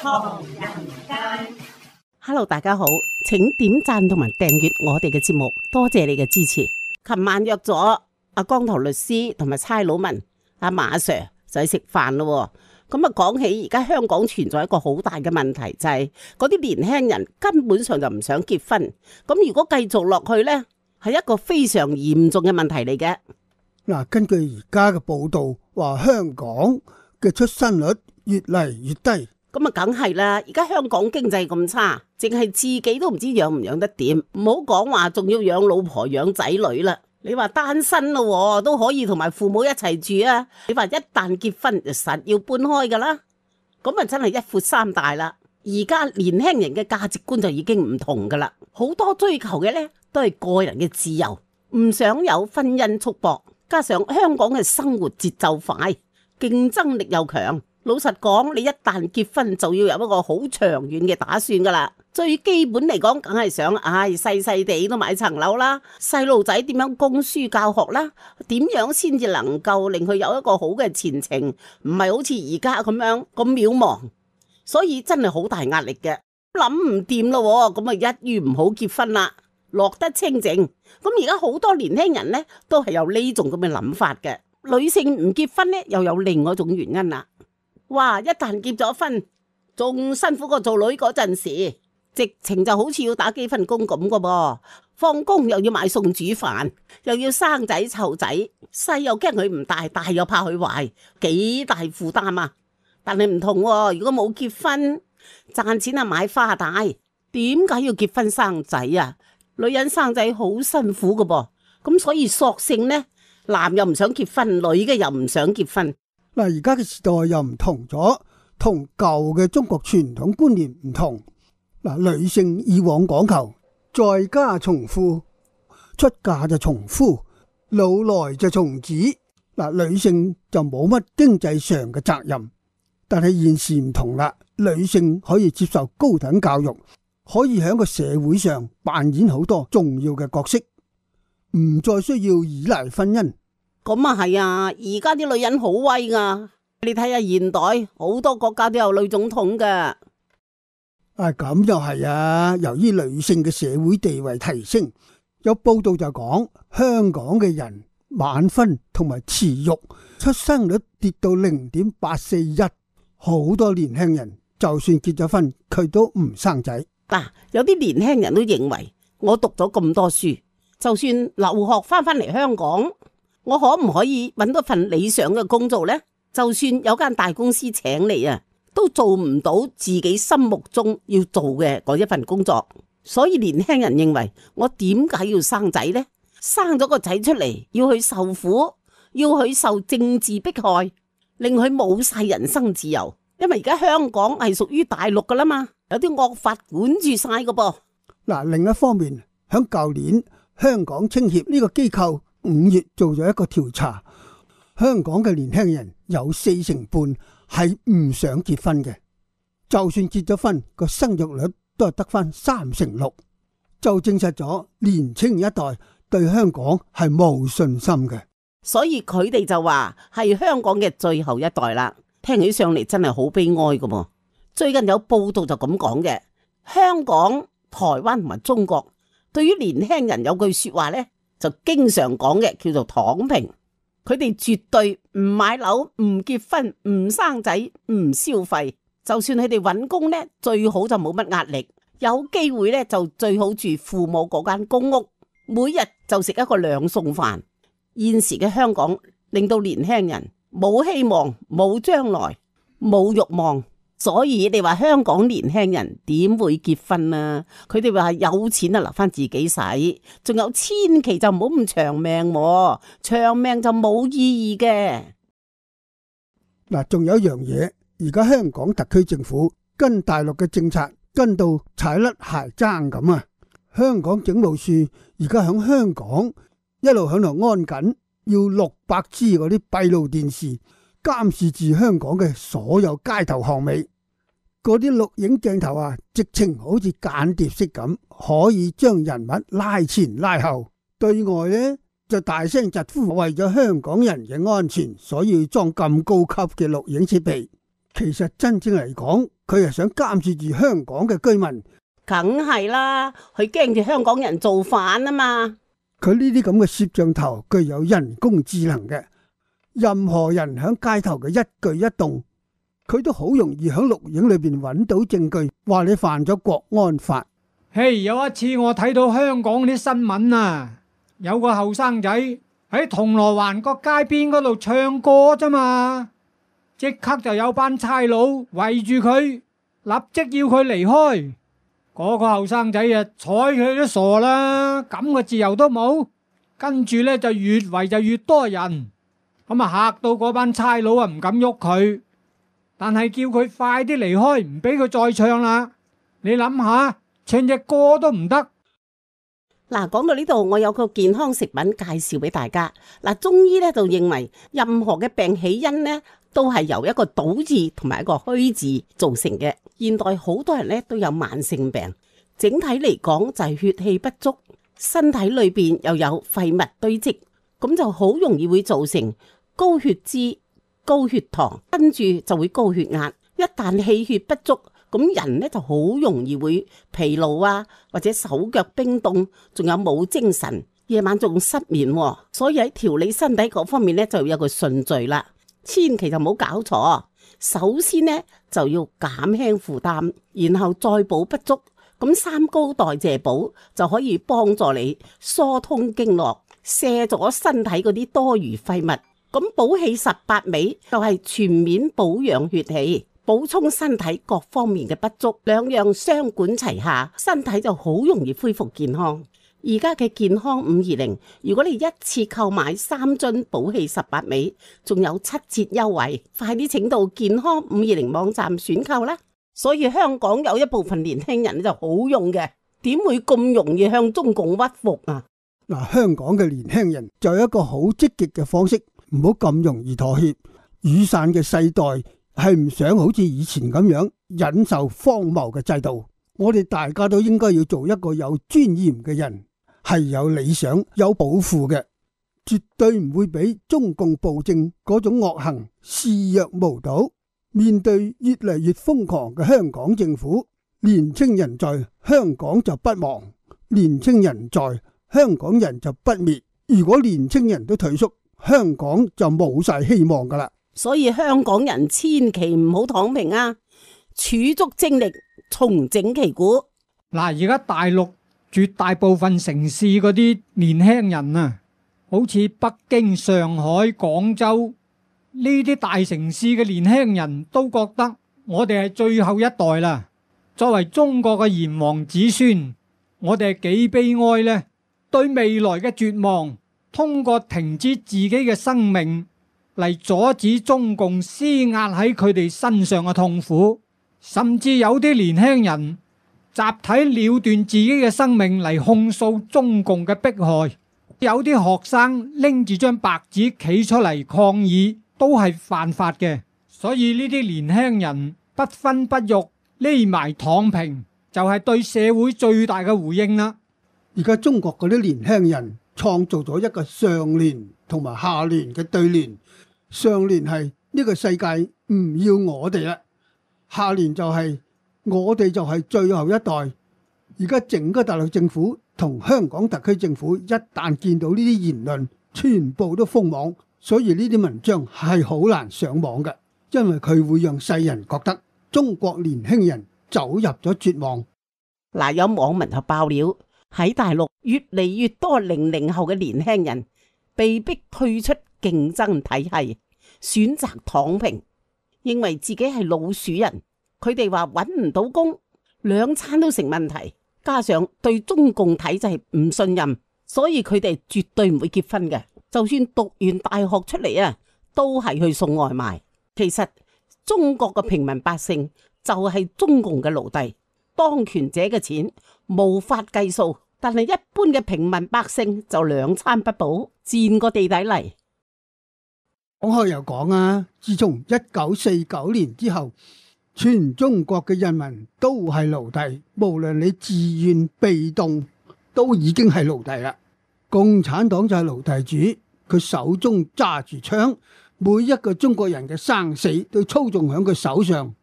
唐人街。Hello， 大家好，請點讚同埋訂閱我哋嘅節目，多謝你嘅支持。琴晚約咗阿光頭律師同埋差佬文阿馬 Sir 就去食飯咯。咁啊，講起而家香港存在一個好大嘅問題，就係嗰啲年輕人根本上就唔想結婚。咁如果繼續落去呢，係一個非常嚴重嘅問題嚟嘅。嗱，根據而家嘅報道，話香港嘅出生率越嚟越低。咁啊，梗係啦！而家香港經濟咁差，淨係自己都唔知養唔養得掂，唔好講話仲要養老婆養仔女啦。你話單身咯，都可以同埋父母一齊住啊！你話一旦結婚就實要搬開噶啦，咁啊真係一闊三大啦。而家年輕人嘅價值觀就已經唔同噶啦，好多追求嘅呢都係個人嘅自由，唔想有婚姻束縛，加上香港嘅生活節奏快，競爭力又強。老實講，你一旦結婚就要有一個好長遠嘅打算噶啦。最基本嚟講，梗係想，細細地都買層樓啦。細路仔點樣供書教學啦？點樣先至能夠令佢有一個好嘅前程？唔係好似而家咁樣咁渺茫，所以真係好大壓力嘅。諗唔掂咯，咁啊一於唔好結婚啦，落得清靜。咁而家好多年輕人呢，都係有呢種咁嘅諗法嘅。女性唔結婚呢，又有另外一種原因啦。哇！一旦結咗婚，仲辛苦過做女嗰陣時，直情就好似要打幾份工咁噶噃。放工又要買餸煮飯，又要生仔湊仔，細又驚佢唔大，大又怕佢壞，幾大負擔啊！但係唔同喎，如果冇結婚，賺錢啊買花帶，點解要結婚生仔啊？女人生仔好辛苦噶噃，咁所以索性呢，男又唔想結婚，女嘅又唔想結婚。嗱，而家嘅時代又唔同咗，同舊嘅中國傳統觀念唔同。嗱，女性以往講求在家從父，出嫁就從夫，老來就從子。嗱，女性就冇乜經濟上嘅責任。但係現時唔同啦，女性可以接受高等教育，可以喺個社會上扮演好多重要嘅角色，唔再需要依賴婚姻。咁啊係啊，而家啲女人好威噶，你睇下現代好多國家都有女總統噶。咁又係啊，由於女性嘅社會地位提升，有報道就講香港嘅人晚婚同埋遲育，出生率跌到0.841，好多年輕人就算結咗婚，佢都唔生仔。有啲年輕人都認為，我讀咗咁多書，就算留學翻嚟香港，我可唔可以揾到份理想嘅工作呢？就算有間大公司請你啊，都做唔到自己心目中要做嘅嗰一份工作。所以年輕人認為，我點解要生仔呢？生咗個仔出嚟，要去受苦，要去受政治迫害，令佢冇晒人生自由。因為而家香港係屬於大陸噶啦嘛，有啲惡法管住晒噶噃。另一方面，響舊年香港青協呢個機構5月做咗一個調查，香港嘅年輕人有40%半係唔想結婚嘅，就算結咗婚，個生育率都係得翻36%，就證實咗年青一代對香港係冇信心嘅。所以佢哋就話係香港嘅最後一代啦，聽起上嚟真係好悲哀噶噃。最近有報道就咁講嘅，香港、台灣同埋中國對於年輕人有句說話呢，就經常講嘅叫做躺平，佢哋絕對唔買樓、唔結婚、唔生仔、唔消費，就算佢哋揾工呢，最好就冇乜壓力，有機會呢，就最好住父母嗰間公屋，每日就食一個2餸飯。現時嘅香港令到年輕人冇希望、冇將來、冇慾望。所以你話香港年輕人點會結婚啊？佢哋話有錢啊留翻自己使，仲有千祈就唔好咁長命，長命就冇意義嘅。仲有一樣嘢，而家香港特區政府跟大陸嘅政策跟到踩甩鞋踭咁啊！香港警務處而家響香港一路響度安緊，要600支嗰啲閉路電視監視住香港嘅所有街頭巷尾，嗰啲錄影鏡頭啊，直情好似間諜式咁，可以將人物拉前拉後。對外呢，就大聲疾呼，為咗香港人嘅安全，所以裝咁高級嘅錄影設備。其實真正嚟講，佢係想監視住香港嘅居民。梗係啦，佢驚住香港人造反啊嘛。佢呢啲咁嘅攝像頭具有人工智能嘅，任何人喺街頭嘅一舉一動，佢都好容易喺錄影裏邊揾到證據，話你犯咗國安法。嘿，有一次我睇到香港啲新聞啊，有個後生仔喺銅鑼灣個街邊嗰度唱歌啫嘛，即刻就有班差佬圍住佢，立即要佢離開。嗰個後生仔啊，睬佢都傻啦，咁嘅自由都冇。跟住呢，就越圍就越多人，咁啊嚇到嗰班差佬啊唔敢喐佢，但係叫佢快啲離開，唔俾佢再唱啦。你諗下，唱隻歌都唔得。嗱，講到呢度，我有個健康食品介紹俾大家。嗱，中醫咧就認為任何嘅病起因呢，都係由一個倒字同埋一個虛字造成嘅。現代好多人咧都有慢性病，整體嚟講就係血氣不足，身體裏邊又有廢物堆積，咁就好容易會造成高血脂、高血糖，跟住就會高血壓。一旦氣血不足，咁人咧就好容易會疲勞啊，或者手腳冰凍，仲有冇精神，夜晚仲失眠。所以喺調理身體嗰方面咧就有個順序啦，千祈就唔好搞錯。首先呢，就要減輕負擔，然後再補不足，咁三高代謝補就可以幫助你疏通經絡，卸咗身體嗰啲多餘廢物。咁補氣18味就係全面保養血氣，補充身體各方面嘅不足，兩樣雙管齊下，身體就好容易恢復健康。而家嘅健康520，如果你一次購買3樽補氣18味，仲有7折優惠，快啲請到健康520網站選購啦！所以香港有一部分年輕人就好用嘅，點會咁容易向中共屈服啊？嗱，香港嘅年輕人就有一個好積極嘅方式，唔好咁容易妥協。雨傘嘅世代係唔想好似以前咁樣忍受荒謬嘅制度，我哋大家都應該要做一個有尊嚴嘅人，係有理想、有抱負嘅，絕對唔會俾中共暴政嗰種惡行視若無睹。面對越嚟越瘋狂嘅香港政府，年青人在香港就不亡，年青人在香港人就不滅。如果年青人都退縮，香港就冇晒希望噶啦。所以香港人千祈唔好躺平啊，儲足精力重整旗鼓。嗱，而家大陸絕大部分城市嗰啲年輕人啊，好似北京、上海、廣州呢啲大城市嘅年輕人都覺得我哋係最後一代啦。作為中國嘅炎黃子孫，我哋係幾悲哀呢？對未來嘅絕望，通過停止自己嘅生命嚟阻止中共施壓喺佢哋身上嘅痛苦，甚至有啲年輕人集體了斷自己嘅生命嚟控訴中共嘅迫害。有啲學生拎住張白紙企出嚟抗議，都係犯法嘅。所以呢啲年輕人不婚不育，匿埋躺平，就係對社會最大嘅回應啦。而家中國嗰啲年輕人創造咗一個上聯同埋下聯嘅對聯，上聯係呢個世界唔要我哋啦，下聯就係我哋就係最後一代。而家整個大陸政府同香港特區政府一旦見到呢啲言論，全部都封網，所以呢啲文章係好難上網嘅，因為佢會讓世人覺得中國年輕人走入咗絕望。嗱，有網民就爆料，喺大陸越嚟越多00後嘅年輕人被逼退出競爭體系，選擇躺平，認為自己係老鼠人。佢哋話搵唔到工，兩餐都成問題，加上對中共體制唔信任，所以佢哋絕對唔會結婚嘅。就算讀完大學出嚟啊，都係去送外賣。其實中國嘅平民百姓就係中共嘅奴隸，當權者嘅錢無法計數，但係一般嘅平民百姓就兩餐不保，賤個地底嚟。講開又講啊，自從1949年之後，全中國嘅人民都係奴隸，無論你自願被動，都已經係奴隸啦。共產黨就係奴隸主，佢手中揸住槍，每一個中國人嘅生死都操縱喺佢手上。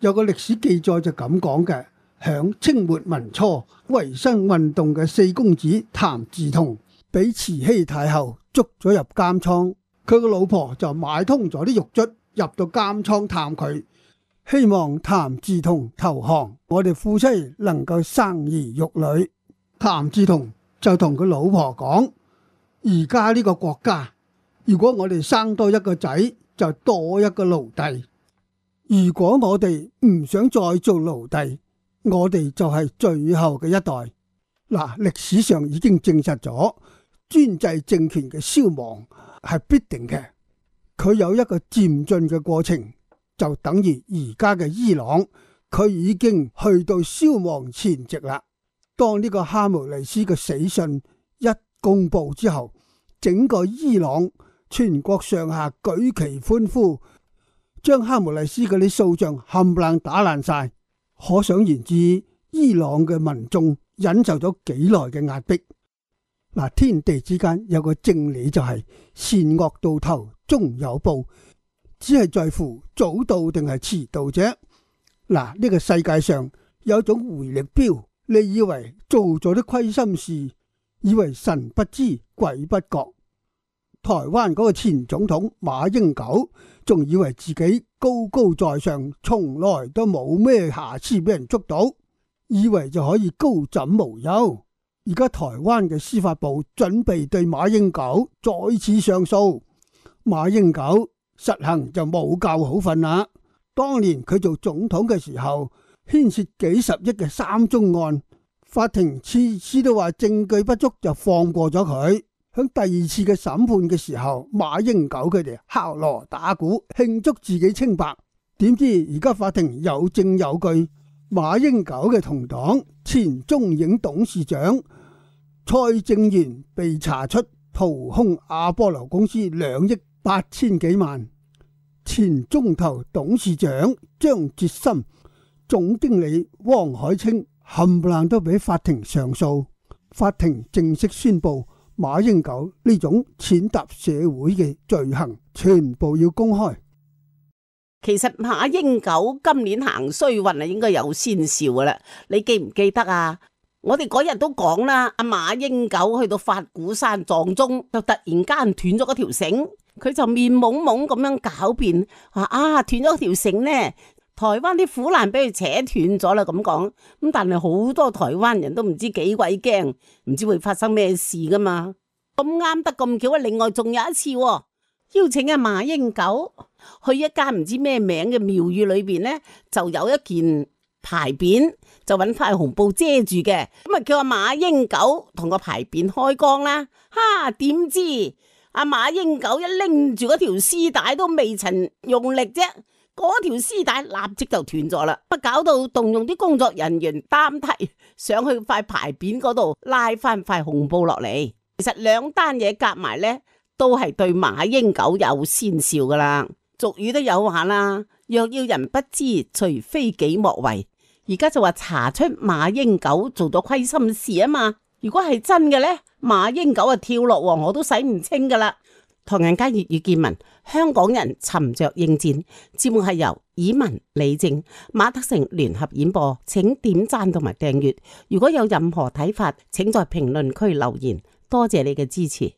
有個歷史記載就咁講嘅，響清末民初維新運動嘅四公子譚嗣同俾慈禧太后捉咗入監倉，佢個老婆就買通咗啲獄卒入到監倉探佢，希望譚嗣同投降，我哋夫妻能夠生兒育女。譚嗣同就同佢老婆講，而家呢個國家，如果我哋生多一個仔，就多一個奴隸。如果我哋唔想再做奴隸，我哋就係最後嘅一代。嗱，歷史上已經證實咗專制政權嘅消亡係必定嘅，佢有一個漸進嘅過程，就等於而家嘅伊朗，佢已經去到消亡前夕啦。當呢個哈梅內斯嘅死訊一公布之後，整個伊朗全國上下舉旗歡呼，將哈梅內斯嗰啲塑像冚唪唥打爛晒。可想而知，伊朗嘅民眾忍受咗幾耐嘅壓迫。嗱，天地之間有個正理就係善惡到頭終有報，只係在乎早到定係遲到啫。嗱，呢個世界上有種回力鏢，你以為做咗啲虧心事，以為神不知鬼不覺。台灣嗰個前總統馬英九仲以為自己高高在上，從來都冇咩瑕疵俾人捉到，以為就可以高枕無憂。而家台灣嘅司法部準備對馬英九再次上訴，馬英九實行就冇覺好瞓啦。當年佢做總統嘅時候，牽涉幾十億嘅3宗案，法庭次次都話證據不足就放過咗佢。響第二次嘅審判嘅時候，馬英九佢哋敲鑼打鼓慶祝自己清白，點知而家法庭有證有據，馬英九嘅同黨前中影董事長蔡正元被查出掏空阿波羅公司2億8千幾萬，前中投董事長張哲森、總經理汪海清冚唪唥都俾法庭上訴，法庭正式宣布馬英九呢種踐踏社會嘅罪行全部要公開。其實馬英九今年行衰運啊，應該有先兆噶啦，你記唔記得啊？我哋嗰日都講啦，阿馬英九去到法鼓山撞鐘，就突然間斷咗嗰條繩，佢就面懵懵咁樣狡辯，話啊斷咗條繩呢，台灣啲苦難俾佢扯斷咗啦咁講。咁但係好多台灣人都唔知幾鬼驚，唔知會發生咩事噶嘛。咁啱得咁巧啊！另外仲有一次，邀請阿馬英九去一間唔知咩名嘅廟宇裏邊呢，就有一件牌匾，就揾塊紅布遮住嘅，咁啊叫阿馬英九同個牌匾開光啦。哈，點知阿馬英九一拎住嗰條絲帶都未曾用力啫，嗰條絲帶立即就斷咗啦，乜搞到動用啲工作人員擔梯上去塊牌匾嗰度拉翻塊紅布落嚟。其實兩單嘢夾埋呢，都係對馬英九有先兆噶啦。俗語都有話啦，若要人不知，除非己莫為。而家就話查出馬英九做咗虧心事啊嘛。如果係真嘅呢，馬英九啊跳落黃河都洗唔清噶啦。唐人街粵語見聞，香港人沉着應戰。節目係由以文、李正、馬德成聯合演播，請點讚同埋訂閱。如果有任何睇法，請在評論區留言。多謝你嘅支持。